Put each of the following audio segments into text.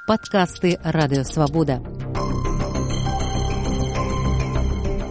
Падкасты Радыёвабода.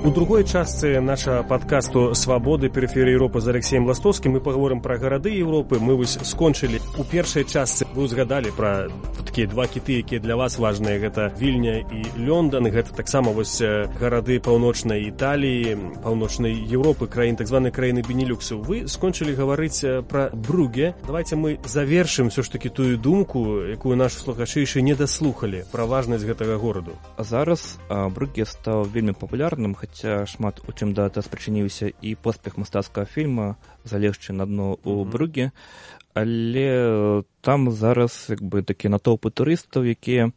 У другой частцы нашага падкасту «Свабоды. Перыферыя Еўропы» з Алексеем Ластовскім мы паговорым пра гарады Еўропы. Мы вось скончылі. У першай частцы вы ўзгадалі пра такія два кіты, якія для вас важныя. Гэта Вільня і Лёндан. Гэта таксама вось гарады паўночнай Італіі, паўночнай Еўропы, краін, так званай краіны Бенілюксу. Вы скончылі гаварыць пра Брюгге. Давайте мы завершым ўсё ж такі тую думку, якую нашы слухачы яшчэ не даслухалі, пра важнасць гэтага гораду. Зараз Брюгге стаў вельмі папулярным, шмат у чым да спрычыніўся і поспех мастацкага фільма, залегчы на дно у Брюгге, але там зараз такі натоўпы турыстаў, якія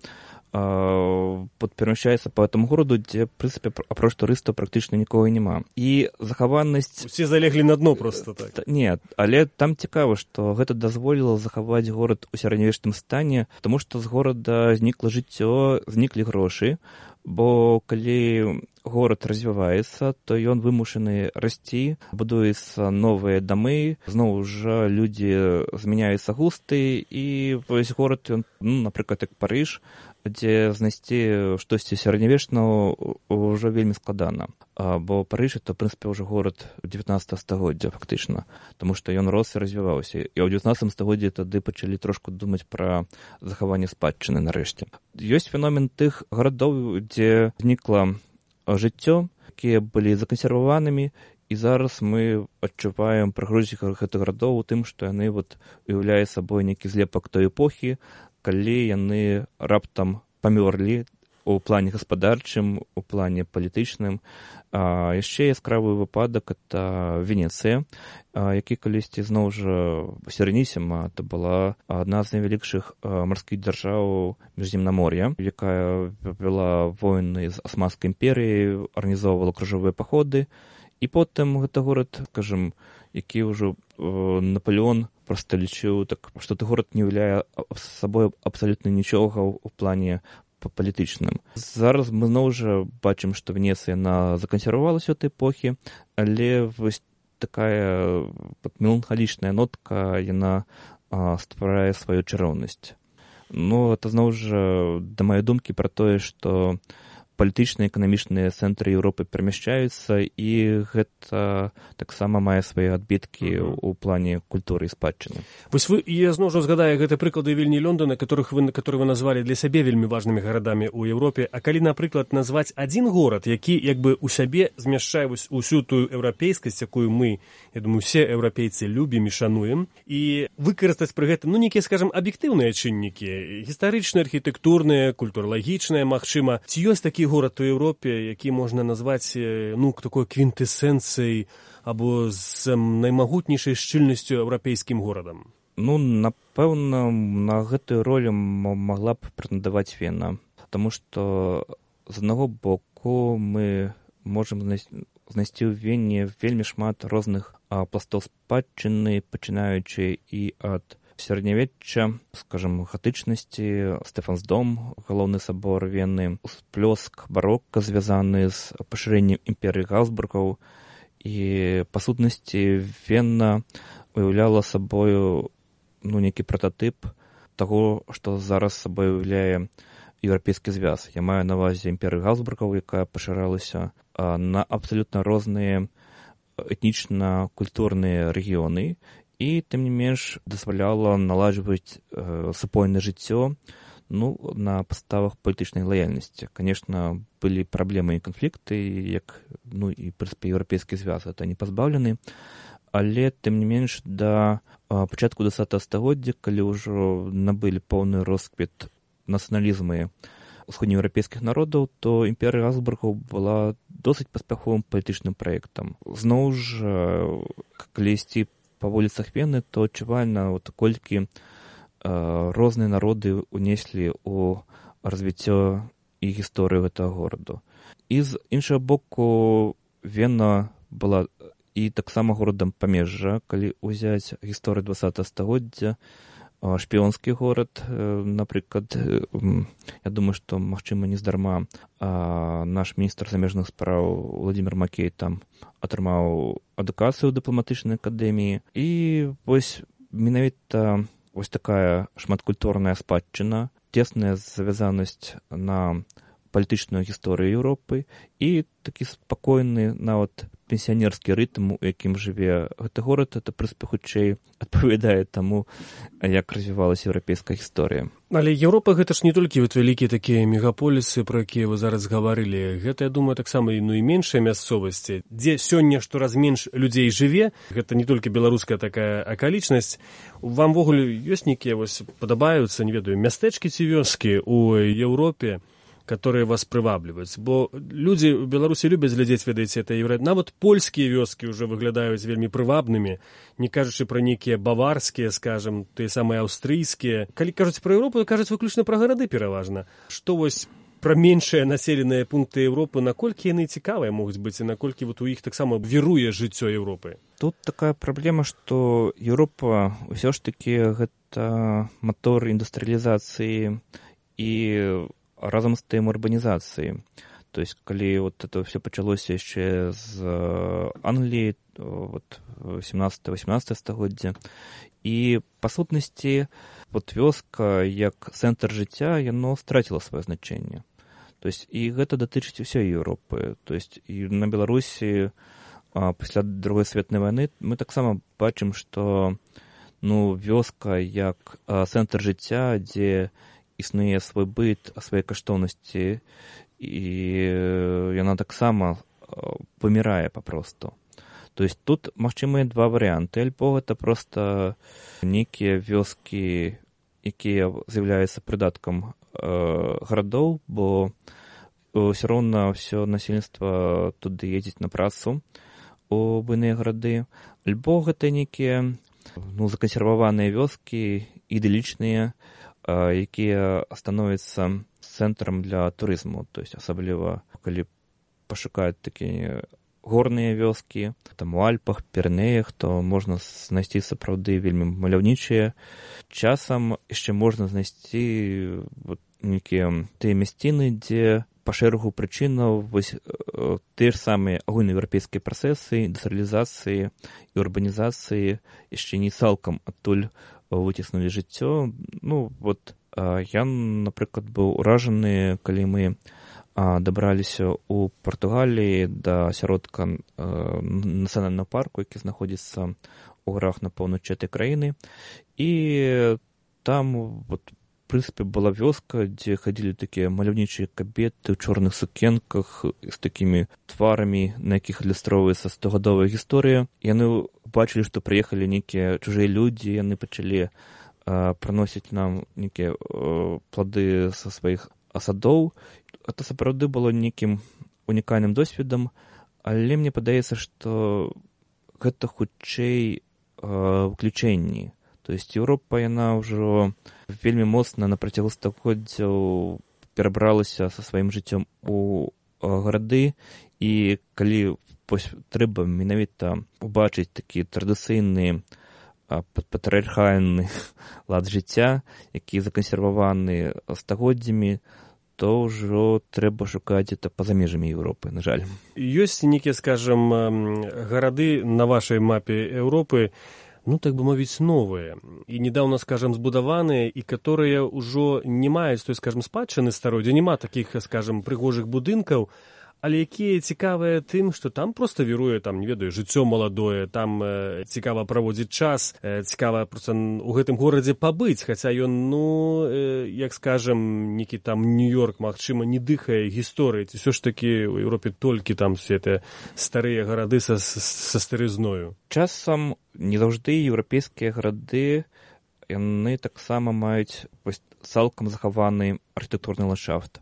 перамяшчаюцца па гэтаму гораду, дзе, в прынцыпе, апроч турыстаў практычна нікога няма. І захаванасць... Усе залеглі на дно проста так. Не, але там цікава, што гэта дазволіла захаваць горад у сярэднявечным стане, таму што з горада знікла жыццё, зніклі грошы, бо калі горад развіваецца, то ён вымушаны расці, будуюцца новыя дамы, зноў жа людзі змяняюцца густы, і вось горад, ён, напрыклад, як Парыж, дзе знайсці штосьці сярэднявечнага ўжо вельмі складана. Бо Парыж — это, в прынцыпе, ўжо горад 19 стагоддзя, фактычна, таму што ён рос і развіваўся. І ў 19 стагоддзі тады пачалі трошку думаць пра захаванне спадчыны нарэшце. Ёсць феномен тых гарадоў, дзе знікла жыццё, якія былі закансерваванымі, і зараз мы адчуваем прыгрозі гэтых гарадоў у тым, што яны уяўляюць сабой нейкі злепак той эпохі, калі яны раптам памёрлі у плане гаспадарчым, у плане палітычным. Яшчэ яскравы выпадак — это Венецыя, які калісьці зноў жа сярэднісіма, это была адна з найвялікшых марскіх дзяржаў Міжземнамор'я, якая вяла войны з Асманскай імперыяй, арганізоўвала крыжовыя паходы, і потым гэта горад, скажем, які ўжо Наполеон проста лічыў, так, што ты горад не ўяўляе сабой абсалютна нічога ў плане палітычным. Зараз мы зноў жа бачым, што Венецыя закансервавалася ў той эпохі, але вось такая меланхалічная нотка, яна стварае сваю чароўнасць. Это зноў жа да маёй думкі пра тое, што палітычныя, эканамічныя цэнтры Еўропы перамяшчаюцца, і гэта таксама мае свае адбіткі ў плане культуры і спадчыны. Вось я зноў жа згадаю гэты прыклады Вільні і Лёндана, которые вы назвалі для сябе вельмі важнымі гарадамі ў Еўропе. А калі, напрыклад, назваць адзін горад, які у сябе змяшчае усю тую еўрапейскасць, якую мы, я думаю, усе еўрапейцы любім і шануем, і выкарыстаць пры гэтым, нейкія, скажам, аб'ектыўныя чыннікі, гістарычныя, архітэктурныя, культуралагічныя, магчыма. Ці ёсць такі горад у Еўропе, які можна назваць такой квінтэсэнцыяй або з наймагутнейшай шчыльнасцю еўрапейскім горадам? Напэўна, на гэтую ролю магла б прэтэндаваць Вена, таму што з аднаго боку мы можам знайсці ў Вене вельмі шмат розных пластоў спадчыны, пачынаючы і ад сярэднявечча, скажем, гатычнасці, Стэфансдом, галоўны сабор Вены, усплёск барока, звязаны з пашырэннем імперыі Габсбургаў, і, па сутнасці, Вена уяўляла сабою нейкі прататып таго, што зараз сабой уяўляе еўрапейскі звяз. Я маю на ўвазе імперыю Габсбургаў, якая пашыралася на абсалютна розныя этнічна-культурныя рэгіёны, і, тым не менш, дазваляла наладжваць супольнае жыццё на падставах палітычнай лаяльнасці. Канешне, былі праблемы і канфлікты, як і, в прынцыпе, еўрапейскі звяз гэта не пазбаўлены, але, тым не менш, да пачатку 20 стагоддзя, калі ўжо набылі поўны росквіт нацыяналізмы усходнееўрапейскіх народаў, то імперыя Габсбургаў была досыць паспяховым палітычным праектам. Зноў жа, калі ісці па вуліцах Вены, то адчувальна, колькі розныя народы унеслі ў развіццё і гісторыю гэтага гораду. І з іншага боку, Вена была і таксама горадам памежжа, калі ўзяць гісторыю 20 стагоддзя, шпіёнскі горад, напрыклад, я думаю, што, магчыма, нездарма наш міністр замежных спраў Владзімір Макей там атрымаў адукацыю ў дыпламатычнай акадэміі. І вось менавіта вось такая шматкультурная спадчына, цесная завязанасць на палітычную гісторыю Еўропы і такі спакойны нават пенсіянерскі рытм, у якім жыве гэты горад, это прынцыпе хутчэй адпавядае таму, як развівалася еўрапейская гісторыя. Але Еўропа гэта ж не толькі вот вялікія такія мегаполісы, про якія вы зараз гаварылі. Гэта, я думаю, таксама і меншыя мясцовасці, дзе сёння штораз менш людзей жыве. Гэта не толькі беларуская такая акалічнасць. Вам ввогуле ёсць нейкія вось падабаюцца, не ведаю, мястэчкі ці вёскі ў Еўропе, которые вас прывабліваюць, бо людзі ў Беларусі любяць глядзець, ведаеце, это нават польскія вёскі ўжо выглядаюць вельмі прывабнымі, не кажучы пра нейкія баварскія, скажам, тыя самыя аўстрыйскія. Калі кажуць пра Еўропу, кажуць выключна пра гарады пераважна. Што вось пра меншыя населеныя пункты Еўропы, наколькі яны цікавыя могуць быць, і наколькі вот у іх таксама віруе жыццё Еўропы? Тут такая праблема, што Еўропа ўсё ж такі гэта матор індустрыялізацыі і разом з тым урбанізацыі. То есть, калі вот это все пачалося яшчэ з Англіі, вот 17-18 стагоддзя, і па сутнасці вот вёска як цэнтр жыцця, яно страціла сваё значэнне. То есть, і гэта датычыць усёй Еўропы. То есть, і на Беларусі пасля Другой светнай вайны мы таксама бачым, што вёска як цэнтр жыцця, дзе існуе свой быт, свае каштоўнасці, і яна таксама вымірае папросту. То есть тут магчымыя два варыянты. Альбо гэта проста нейкія вёскі, якія з'яўляюцца прыдаткам гарадоў, бо ўсё роўна ўсё насельніцтва туды едзець на працу у буйныя гарады. Альбо гэта нейкія закансерваваныя вёскі, ідылічныя, якія становяцца цэнтрам для турызму. То есть асабліва, калі пашукаюць такія горныя вёскі, там у Альпах, Пірэнеях, то можна знайсці сапраўды вельмі маляўнічыя. Часам яшчэ можна знайсці нейкія тыя мясціны, дзе па шэрагу прычынаў тыя ж самыя агульнаеўрапейскія працэсы індустрыялізацыі і урбанізацыі яшчэ не цалкам адтуль выціснулі жыццё. Я, напрыклад, быў уражаны, калі мы дабраліся ў Партугаліі да асяродка нацыянальнага парку, які знаходзіцца ў горах на поўначы этой краіны. І там, в прынцыпе, была вёска, дзе хадзілі такія маляўнічыя кабеты ў чорных сукенках з такімі тварамі, на якіх адлюстроўваецца 100-гадовая гісторыя. Яны бачылі, што прыехалі нейкія чужыя людзі, яны пачалі прыносіць нам нейкія плады са сваіх асадоў. Это сапраўды было нейкім унікальным досведам, але мне падаецца, што гэта хутчэй выключэнні. То есть Еўропа, яна ўжо вельмі моцна на працягу стагоддзяў перабралася са сваім жыццём у гарады, і калі трэба менавіта убачыць такі традыцыйны патрыархальны лад жыцця, які закансерваваны стагоддзямі, то ўжо трэба шукаць это па-за межамі Еўропы, на жаль. Ёсць нейкія, скажам, гарады на вашай мапе Еўропы, так бы мовіць, новыя, і недавно, скажам, збудаваныя, і которые ўжо не маюць той, скажам, спадчыны старой, дзе няма такіх, скажам, прыгожых будынкаў, але якія цікавыя тым, што там проста віруе, там, не ведаю, жыццё маладое, там цікава праводзіць час, цікава проста у гэтым горадзе пабыць, хаця ён, як скажам, нейкі там Нью-Йорк, магчыма, не дыхае гісторыяй, ці ўсё ж такі ў Еўропе толькі там все гэтыя старыя гарады са старызною. Часам не заўжды еўрапейскія гарады, яны таксама маюць цалкам захаваны архітэктурны ландшафт.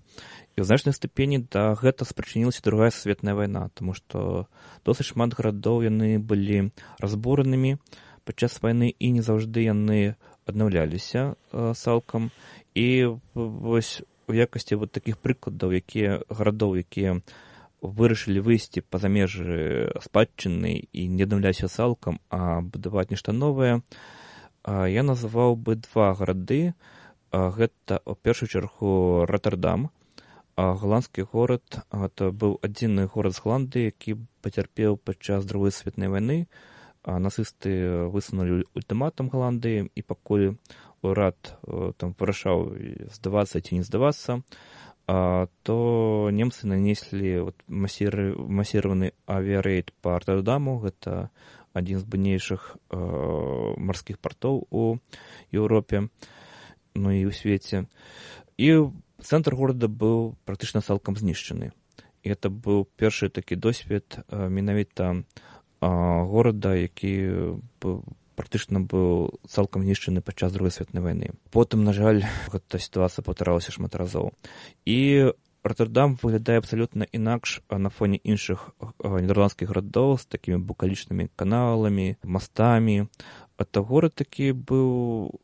І ў значнай ступені да гэта спрычынілася Другая светная вайна, таму што досыць шмат гарадоў яны былі разбуранымі падчас вайны, і не заўжды яны аднаўляліся цалкам. І вось у якасці такіх прыкладаў, гарадоў, якія вырашылі выйсці па-за межы спадчыны і не аднаўляцца цалкам, а будаваць нешта новае, я называў бы два гарады. Гэта, у першую чаргу, Роттердам, голландскі горад. Гэта быў адзіны горад з Голландыі, які пацярпеў падчас Другой светнай вайны. Нацысты высунулі ультыматум Голландыі, і пакуль урад там вырашаў здавацца ці не здавацца, то немцы нанеслі масіраваны авіярэйд па Роттердаму. Гэта адзін з буйнейшых марскіх партоў у Еўропе, ну і ў свеце. І цэнтр горада быў практычна цалкам знішчаны. І гэта быў першы такі досвед менавіта горада, які практычна быў цалкам знішчаны падчас Другой светнай вайны. Потым, на жаль, гэта сітуацыя паўтаралася шмат разоў. І Роттердам выглядае абсалютна інакш на фоне іншых нідэрландскіх гарадоў з такімі букалічнымі каналамі, мастамі. Горад такі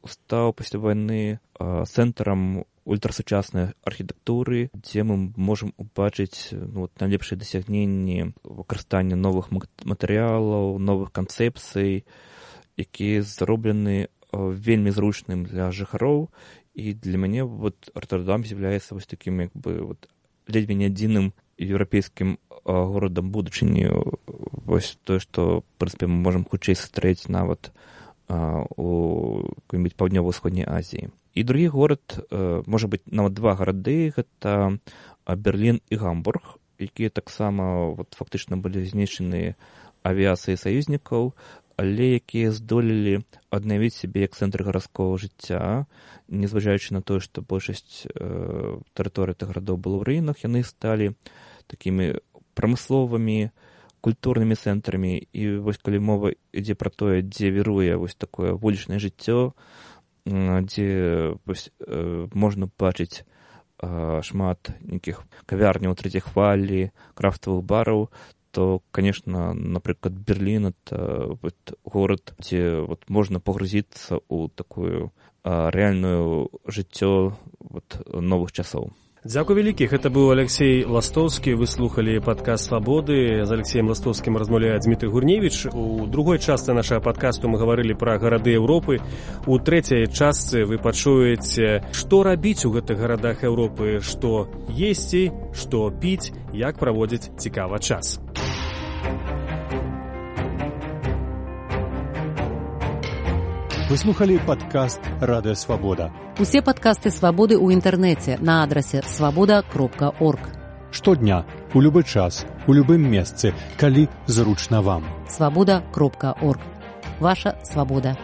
стаў пасля вайны цэнтрам ультрасучаснай архітэктуры, дзе мы можам убачыць найлепшыя дасягненні выкарыстання новых матэрыялаў, новых канцэпцый, якія зроблены вельмі зручным для жыхароў. І для мяне Роттердам з'яўляецца такім ледзьве не адзіным еўрапейскім горадам будучыні. Тое, што, в прынцыпе, мы можам хутчэй сустрэць нават у какой-нибудь паўднёва-ўсходняй Азіі. І другі горад, можа быць, нават два гарады, гэта Берлін і Гамбург, якія таксама фактычна былі знішчаны авіяцыяй саюзнікаў, але якія здолелі аднавіць сябе як цэнтры гарадскога жыцця, незважаючы на тое, што большасць тэрыторый тых гарадоў было ў руінах, яны сталі такімі прамысловымі, культурнымі цэнтрамі. І калі мова ідзе пра тое, дзе віруе такое вулічнае жыццё, дзе можна бачыць шмат нейкіх кавярняў трэцяй хвалі, крафтавых бараў, то, конечно, напрыклад, Берлін — это горад, дзе можна пагрузіцца ў такую рэальную жыццё новых часоў. Дзякуй вялікі. Гэта быў Алексей Ластоўскі. Вы слухалі падкаст «Свабоды». З Алексеем Ластоўскім размаўляе Дмітрый Гурневіч. У другой частцы нашага падкасту мы гаварылі пра гарады Еўропы. У трэцяй частцы вы пачуеце, што рабіць у гэтых гарадах Еўропы, што есці, што піць, як праводзіць цікава час. Вы слухали падкаст «Радыё Свабода». Усе падкасты «Свабоды» ў інтэрнэце на адрасе swaboda.org. Штодня, у любы час, у любым месцы, калі зручна вам. swaboda.org. Ваша свабода.